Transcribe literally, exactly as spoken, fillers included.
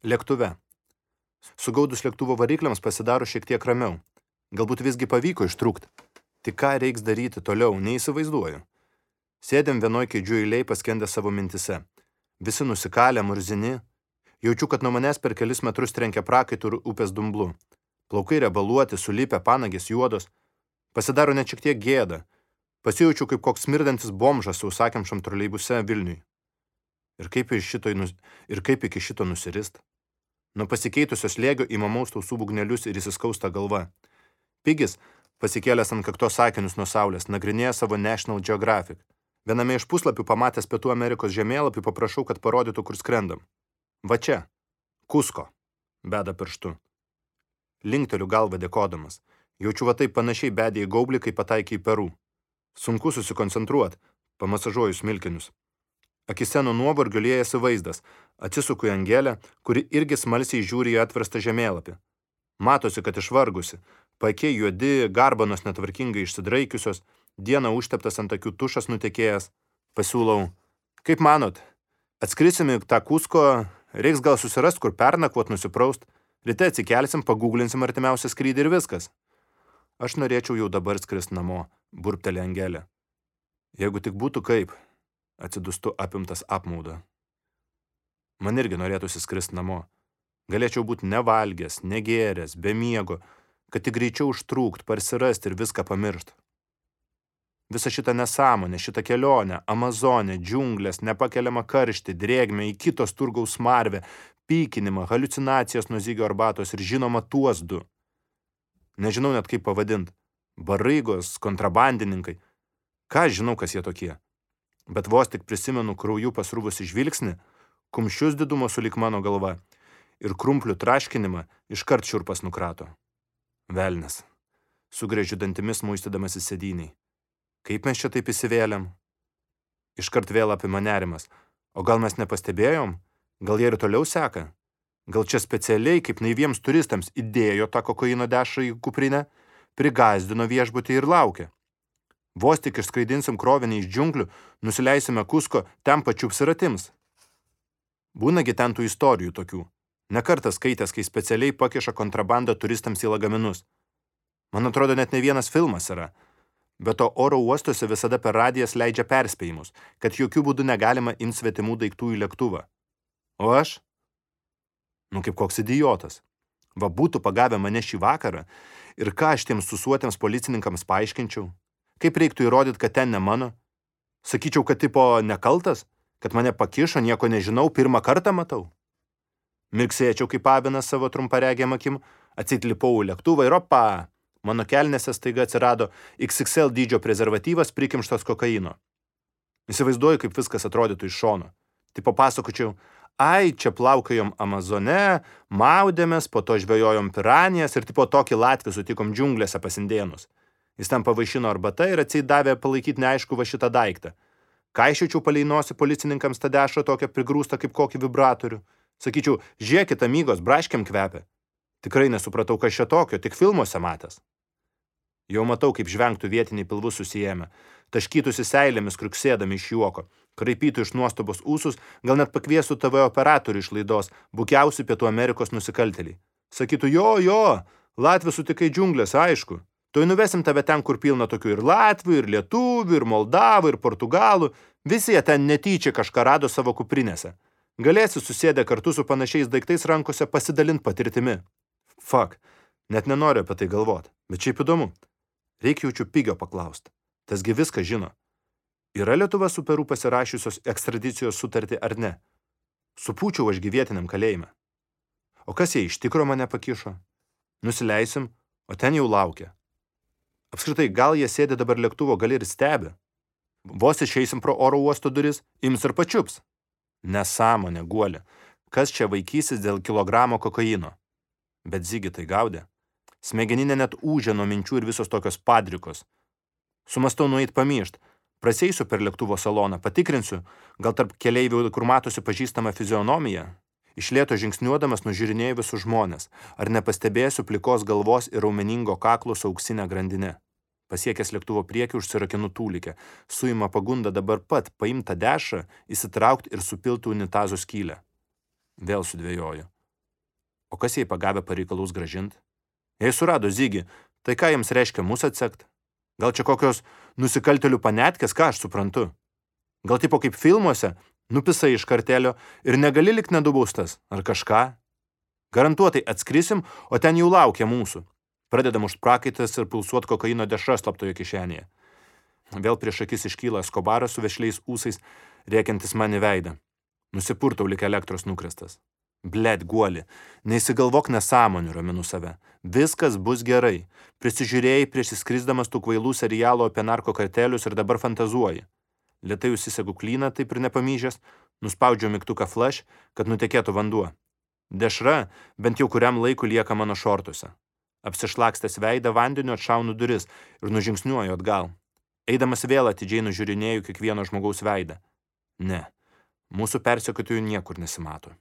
Lėktuve. Sugaudus lėktuvo varikliams pasidaro šiek tiek ramiau. Galbūt visgi pavyko ištrūkti. Tik ką reiks daryti toliau, neįsivaizduoju. Sėdėm vienoj kėdžių eiliai paskendę savo mintise. Visi nusikalę, murzini. Jaučiu, kad nuo manęs per kelis metrus trenkia prakaitų ir upės dumblu. Plaukai rebaluoti, sulipę, panagės juodos. Pasidaro net šiek tiek gėda. Pasijaučiu kaip koks smirdantis bomžas sausakimšam troleibuse Vilniui. Ir kaip, šito, ir kaip iki šito nusirist? Nuo pasikeitusio slėgio įmamaus tausų būgnelius ir įsiskausta galva. Pigis, pasikėlęs ant kaktos sakinius nuo saulės, nagrinėja savo National Geographic. Viename iš puslapių pamatęs Pietų Amerikos žemėlapį paprašau, kad parodytų, kur skrendam. Va čia. Kusko. Beda pirštu. Linkteliu galvą dėkodamas. Jaučiu va taip panašiai bedė į gaublį, kai pataikė į Peru. Sunku susikoncentruot. Pamasažuoju smilkinius. Akise nuo nuovargio liejasi vaizdas. Atsisuku į Angelę, kuri irgi smalsiai žiūri į atverstą žemėlapį. Matosi, kad išvargusi. Paakiai juodi, garbanos netvarkingai išsidraikiusios, dieną užteptas ant akių tušas nutekėjęs. Pasiūlau. Kaip manot, atskrisim į tą Kusko, reiks gal susirast, kur pernakvot, nusipraust. Ryte atsikelsim, paguglinsim artimiausią skrydį ir viskas. Aš norėčiau jau dabar skrist namo, burptelė Angelė. Jeigu tik būtų kaip, atsidustu apimtas apmaudo. Man irgi norėtųsi skrist namo. Galėčiau būti nevalgęs, negėręs, be miego, kad tik greičiau užtrūkt, parsirast ir viską pamiršt. Visa šitą nesąmonę, šitą kelionę, Amazonę, džiunglės, nepakeliamą karštį, drėgmę, į kitos turgaus smarvę, pykinimą, haliucinacijas nuo zygio arbatos ir žinoma tuos du. Nežinau net kaip pavadint. Baraigos, kontrabandininkai. Ką žinau, kas jie tokie. Bet vos tik prisimenu krauju pasrūvusi žvilgsnį, kumščius didumo sulik mano galva ir krumplių traškinimą iškart šiurpas nukrato. Velnias. Sugrėžiu dantimis muistydamas į sėdynį. Kaip mes čia taip įsivėlėm? Iškart vėl apima nerimas. O gal mes nepastebėjom? Gal jie ir toliau seka? Gal čia specialiai, kaip naiviems turistams, įdėjo tą kokaino dešrą į kuprinę, prigazdino viešbutį ir laukia. Vos tik išskraidinsim krovinį iš džiunglių, nusileisime Kusko, ten pačiups ir atims. Būnagi ten tų istorijų tokių. Nekartą skaitęs, kai specialiai pakiša kontrabandą turistams į lagaminus. Man atrodo, net ne vienas filmas yra. Bet to oro uostuose visada per radijas leidžia perspėjimus, kad jokių būdų negalima imti svetimų daiktų į lėktuvą. O aš? Nu kaip koks idiotas. Va būtų pagavę mane šį vakarą ir ką aš tiems susuotiems policininkams paaiškinčiau? Kaip reiktų įrodyti, kad ten ne mano? Sakyčiau, kad tipo nekaltas? Kad mane pakišo, nieko nežinau, pirmą kartą matau? Mirksėčiau kaip avinas savo trumparegiam akim, atsitlipau į lėktuvą ir opa! Mano kelnėse staiga atsirado iks iks el dydžio prezervatyvas prikimštas kokaino. Įsivaizduoju, kaip viskas atrodytų iš šono. Tai papasakočiau, ai, čia plaukajom Amazone, maudėmės, po to žvejojom piranijas ir tipo tokį Latvį sutikom džiunglėse pasindėnus. Jis ten pavaišino arbata ir atseit davė palaikyti neaišku va šitą daiktą. Kaiščiau paleinosi policininkams tą dešrą tokią prigrūstą kaip kokį vibratorių. Sakyčiau, žiūrėkit, amygos, braškiam kvepia. Tikrai nesupratau, kas čia tokio, tik filmuose matęs. Jau matau, kaip žvengtų vietiniai pilvus susijėmę, taškytųsi seilėmis kriuksėdami iš juoko, kraipytų iš nuostabos ūsus, gal net pakviestų T V operatorių iš laidos, bukiausių Pietų Amerikos nusikaltėliai. Sakytų, jo, jo, Latvį sutikai džiunglės, aišku. Tuoj nuvesim tave ten, kur pilna tokių ir Latvių, ir Lietuvių, ir Moldavų, ir Portugalų. Visi jie ten netyčia kažką rado savo kuprinėse. Galėsi susėdę kartu su panašiais daiktais rankose pasidalint patirtimi. Fuck, net nenoriu apie tai galvot, bet šiaip įdomu. Reikia jaučiu Pigio paklaust. Tasgi viską žino. Yra Lietuva su Peru pasirašiusios ekstradicijos sutartį ar ne? Supūčiau aš gyvietiniam kalėjime. O kas jie iš tikro mane pakišo? Nusileisim, o ten jau laukia. Apskritai, gal jie sėdi dabar lėktuvo gali ir stebi. Vos išeisim pro oro uosto duris, ims ir pačiups. Nesąmonė, guolė. Kas čia vaikysis dėl kilogramo kokaino? Bet Zigi tai gaudė. Smegeninė net ūžė nuo minčių ir visos tokios padrikos. Sumastau nueit pamyšt. Praseisiu per lėktuvo saloną, patikrinsiu, gal tarp keleivių, kur matosi pažįstama fizionomija. Iš lėto žingsniuodamas nužiūrinėjau visus žmonės. Ar nepastebėsiu plikos galvos ir raumeningo kaklo su auksinė grandinė. Pasiekęs lėktuvo priekį užsirakinu tūlikę. Suima pagunda dabar pat paimtą dešrą, įsitraukti ir supilti unitazo skylę. Vėl sudvejoju. O kas jai pagavę pareikalaus grąžint? Jei surado Zigį, tai ką jiems reiškia mus atsekt? Gal čia kokios nusikaltelių panetkės, ką aš suprantu? Gal tipo kaip filmuose, nupisai iš kartelio ir negali likt nedubaustas, ar kažką? Garantuotai atskrisim, o ten jau laukia mūsų. Pradedam už prakaitas ir pulsuot kokaino dešra slaptoje kišenėje. Vėl prieš akis iškyla Eskobaras su vešliais ūsais, rėkiantis man į veidą. Nusipurtau lik elektros nukrestas. Blet, guoli, neįsigalvok nesąmonių, raminu save. Viskas bus gerai. Prisižiūrėjai prieš įskrisdamas tų kvailų serialų apie narkokartelius ir dabar fantazuoji. Lėtai užsisegu klyną, taip ir nepamyžęs, nuspaudžiau mygtuką flash, kad nutekėtų vanduo. Dešra bent jau kuriam laiku lieka mano šortuose. Apsišlakstęs veidą vandeniu atšaunu duris ir nužingsniuoju atgal. Eidamas vėl atidžiai nužiūrinėju kiekvieno žmogaus veidą. Ne, mūsų persekiotojų niekur nesimato.